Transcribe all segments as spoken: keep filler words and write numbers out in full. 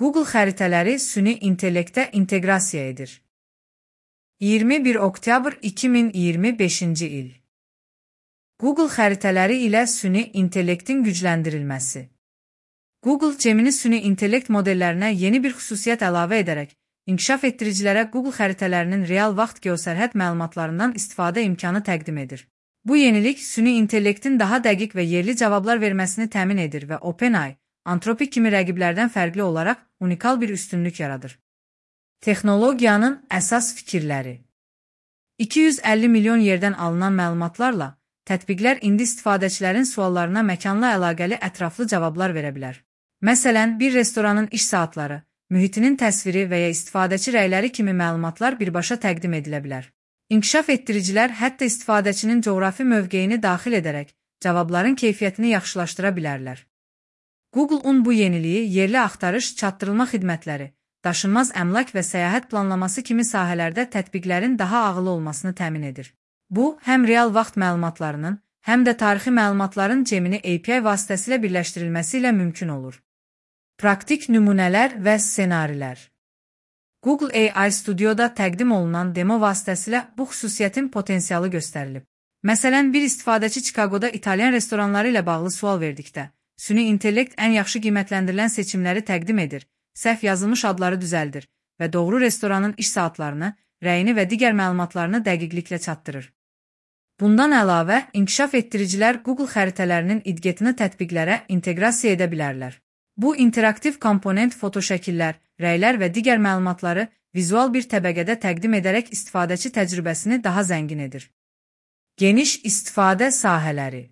Google xəritələri süni intellektə inteqrasiya edir. iyirmi bir oktyabr iki min iyirmi beşinci il. Google xəritələri ilə süni intellektin gücləndirilməsi. Google Gemini süni intellekt modellərinə yeni bir xüsusiyyət əlavə edərək, inkişaf etdiricilərə Google xəritələrinin real vaxt geosərhəd məlumatlarından istifadə imkanı təqdim edir. Bu yenilik süni intellektin daha dəqiq və yerli cavablar verməsini təmin edir və OpenAI, Anthropic kimi rəqiblərdən fərqli olaraq unikal bir üstünlük yaradır. Texnologiyanın əsas fikirləri. iki yüz əlli milyon yerdən alınan məlumatlarla, tətbiqlər indi istifadəçilərin suallarına məkanla əlaqəli ətraflı cavablar verə bilər. Məsələn, bir restoranın iş saatları, mühitinin təsviri və ya istifadəçi rəyləri kimi məlumatlar birbaşa təqdim edilə bilər. İnkişaf etdiricilər hətta istifadəçinin coğrafi mövqeyini daxil edərək cavabların keyfiyyətini yaxşılaşdıra bilərlər. Google-un bu yeniliyi yerli axtarış, çatdırılma xidmətləri, daşınmaz əmlak və səyahət planlaması kimi sahələrdə tətbiqlərin daha ağıllı olmasını təmin edir. Bu, həm real vaxt məlumatlarının, həm də tarixi məlumatların Gemini A P I vasitəsilə birləşdirilməsi ilə mümkün olur. Praktik nümunələr və ssenarilər. Google A I Studio'da təqdim olunan demo vasitəsilə bu xüsusiyyətin potensialı göstərilib. Məsələn, bir istifadəçi Chicago'da İtalyan restoranları ilə bağlı sual verdikdə, süni intellekt ən yaxşı qiymətləndirilən seçimləri təqdim edir, səhv yazılmış adları düzəldir və doğru restoranın iş saatlarını, rəyini və digər məlumatlarını dəqiqliklə çatdırır. Bundan əlavə, inkişaf etdiricilər Google xəritələrinin idgetini tətbiqlərə inteqrasiya edə bilərlər. Bu, interaktiv komponent fotoşəkillər, rəylər və digər məlumatları vizual bir təbəqədə təqdim edərək istifadəçi təcrübəsini daha zəngin edir. Geniş istifadə sahələri.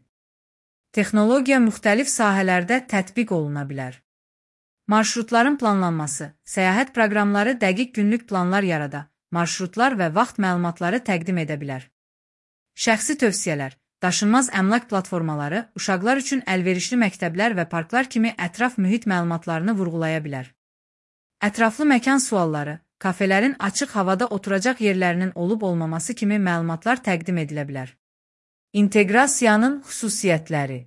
Texnologiya müxtəlif sahələrdə tətbiq oluna bilər. Marşrutların planlanması, səyahət proqramları dəqiq günlük planlar yarada, marşrutlar və vaxt məlumatları təqdim edə bilər. Şəxsi tövsiyələr, daşınmaz əmlak platformaları, uşaqlar üçün əlverişli məktəblər və parklar kimi ətraf mühit məlumatlarını vurğulaya bilər. Ətraflı məkan sualları, kafelerin açıq havada oturacaq yerlərinin olub-olmaması kimi məlumatlar təqdim edilə bilər. İnteqrasiyanın xüsusiyyətləri.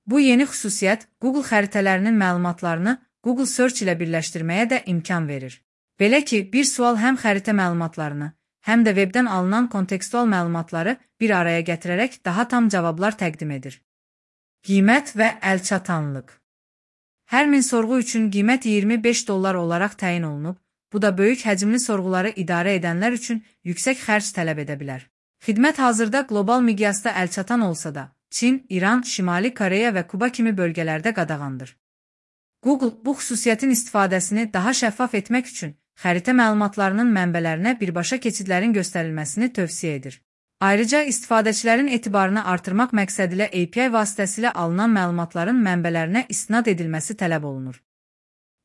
Bu yeni xüsusiyyət Google xəritələrinin məlumatlarını Google Search ilə birləşdirməyə də imkan verir. Belə ki, bir sual həm xəritə məlumatlarını, həm də webdən alınan kontekstual məlumatları bir araya gətirərək daha tam cavablar təqdim edir. Qiymət və əlçatanlıq. Hər min sorğu üçün qiymət iyirmi beş dollar olaraq təyin olunub, bu da böyük həcmli sorğuları idarə edənlər üçün yüksək xərc tələb edə bilər. Xidmət hazırda qlobal miqyasda əlçatan olsa da, Çin, İran, Şimali Koreya və Kuba kimi bölgələrdə qadağandır. Google bu xüsusiyyətin istifadəsini daha şəffaf etmək üçün xəritə məlumatlarının mənbələrinə birbaşa keçidlərin göstərilməsini tövsiyə edir. Ayrıca istifadəçilərin etibarını artırmaq məqsədilə A P I vasitəsilə alınan məlumatların mənbələrinə istinad edilməsi tələb olunur.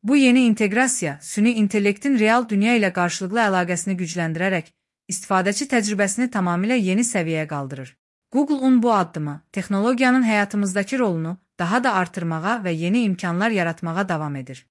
Bu yeni inteqrasiya, süni intellektin real dünya ilə qarşılıqlı əlaqəsini gücləndirərək, istifadəçi təcrübəsini tamamilə yeni səviyyəyə qaldırır. Google-un bu addımı, texnologiyanın həyatımızdakı rolunu daha da artırmağa və yeni imkanlar yaratmağa davam edir.